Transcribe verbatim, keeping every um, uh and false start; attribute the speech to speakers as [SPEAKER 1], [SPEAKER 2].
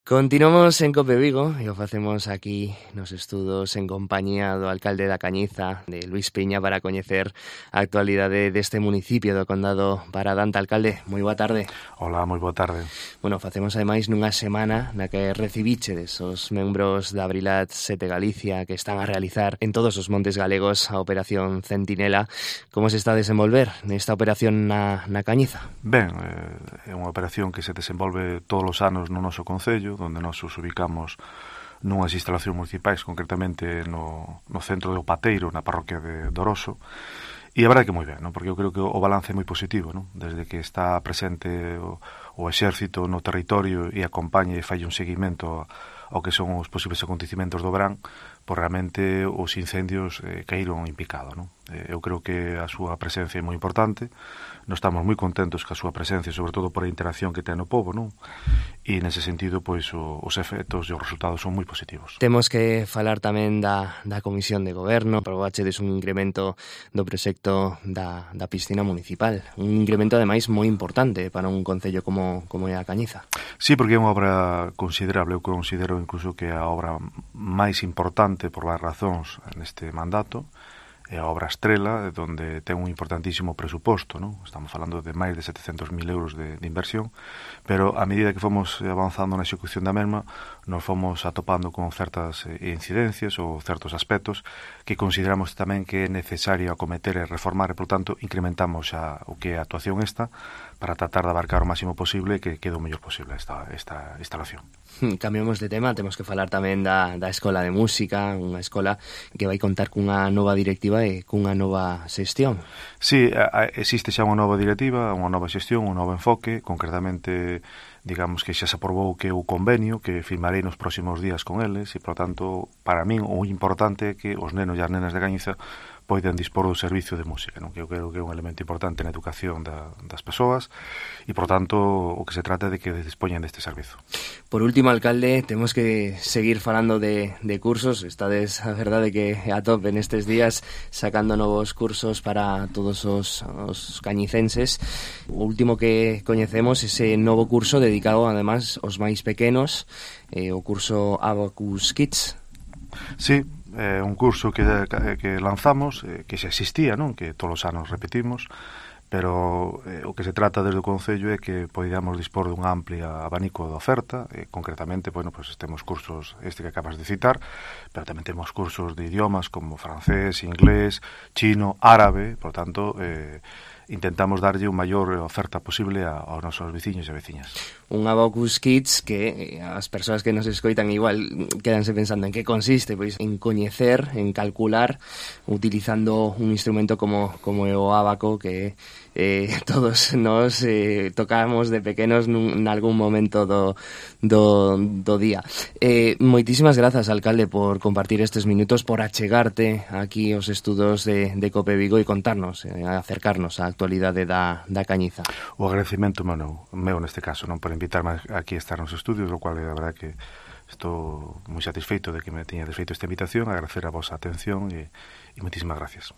[SPEAKER 1] Continuamos en Cope Vigo e o facemos aquí nos estudos en compañía do alcalde da Cañiza, de Luís Piña, para coñecer a actualidade deste municipio do Condado Baradante. Alcalde, moi boa tarde.
[SPEAKER 2] Hola, moi boa tarde.
[SPEAKER 1] Bueno, facemos ademais nunha semana na que recibichedes os membros da Brilat sete Galicia que están a realizar en todos os montes galegos a Operación Centinela. Como se está a desenvolver nesta operación na, na Cañiza?
[SPEAKER 2] Ben, é unha operación que se desenvolve todos os anos no noso concello, donde nos os ubicamos nunhas instalacións municipais, concretamente no, no centro de Opateiro, na parroquia de Doroso, e a verdade que moi ben, non? Porque eu creo que o balance é moi positivo, non? Desde que está presente o, o exército no territorio e acompaña e fai un seguimento ao que son os posibles acontecimentos do verán, pois realmente os incendios eh, caíron en picado, non? Eh, eu creo que a súa presencia é moi importante, nós estamos moi contentos ca súa presencia, sobre todo por a interacción que ten o povo, non? E nese sentido, pois, o, os efectos e os resultados son moi positivos.
[SPEAKER 1] Temos que falar tamén da, da Comisión de Goberno, probachedes un incremento do proxecto da, da piscina municipal, un incremento ademais moi importante para un concello como, como é a Cañiza.
[SPEAKER 2] Sí, porque é unha obra considerable, eu considero incluso que é a obra máis importante por as razóns neste mandato, é a obra estrela, donde ten un importantísimo presuposto, non? Estamos falando de máis de setecentos mil euros de, de inversión, pero a medida que fomos avanzando na execución da mesma, nos fomos atopando con certas incidencias ou certos aspectos que consideramos tamén que é necesario acometer e reformar, e, por tanto, incrementamos xa o que é a actuación esta para tratar de abarcar o máximo posible e que quede o mellor posible esta, esta instalación.
[SPEAKER 1] Cambiamos de tema, temos que falar tamén da, da Escola de Música, unha escola que vai contar cunha nova directiva e cunha nova xestión.
[SPEAKER 2] Sí, existe xa unha nova directiva, unha nova xestión, un novo enfoque, concretamente, digamos que xa se aprobou que o convenio que firmarei nos próximos días con eles, e, por tanto, para min o importante é que os nenos e as nenas de Cañiza poden dispor do servicio de música, non? Que eu creo que é un elemento importante na educación da, das persoas, e, por tanto, o que se trata é de que dispoñen deste servizo.
[SPEAKER 1] Por último, alcalde, temos que seguir falando de, de cursos. Estades, a verdade, que a tope nestes días sacando novos cursos para todos os, os cañicenses. O último que coñecemos, ese novo curso dedicado, además, aos máis pequenos, eh, o curso Abacus Kids.
[SPEAKER 2] Sí, é un curso que, que lanzamos, eh, que xa existía, non? Que todos os anos repetimos, pero eh, o que se trata desde o Concello é que podamos dispor dun amplia abanico de oferta, eh, concretamente, bueno, pues temos cursos este que acabas de citar, pero tamén temos cursos de idiomas como francés, inglés, chino, árabe, por tanto, eh, intentamos darlle unha maior oferta posible a, aos nosos veciños e veciñas.
[SPEAKER 1] Un Abacus Kids que as persoas que nos escoitan igual quedanse pensando en que consiste, pois en coñecer, en calcular, utilizando un instrumento como, como é o abaco, que eh, todos nos eh, tocamos de pequenos nun, nalgún momento do, do, do día. Eh, moitísimas grazas, alcalde, por compartir estes minutos, por achegarte aquí aos estudos de, de Cope Vigo e contarnos, eh, acercarnos á actualidade da, da Cañiza.
[SPEAKER 2] O agradecimento meu, meu neste caso, non, por invitarme aquí a estar nos estudios, o cual é a verdade que estou moi satisfeito de que me teñades feito esta invitación, agradecer a vosa atención e, e moitísimas gracias.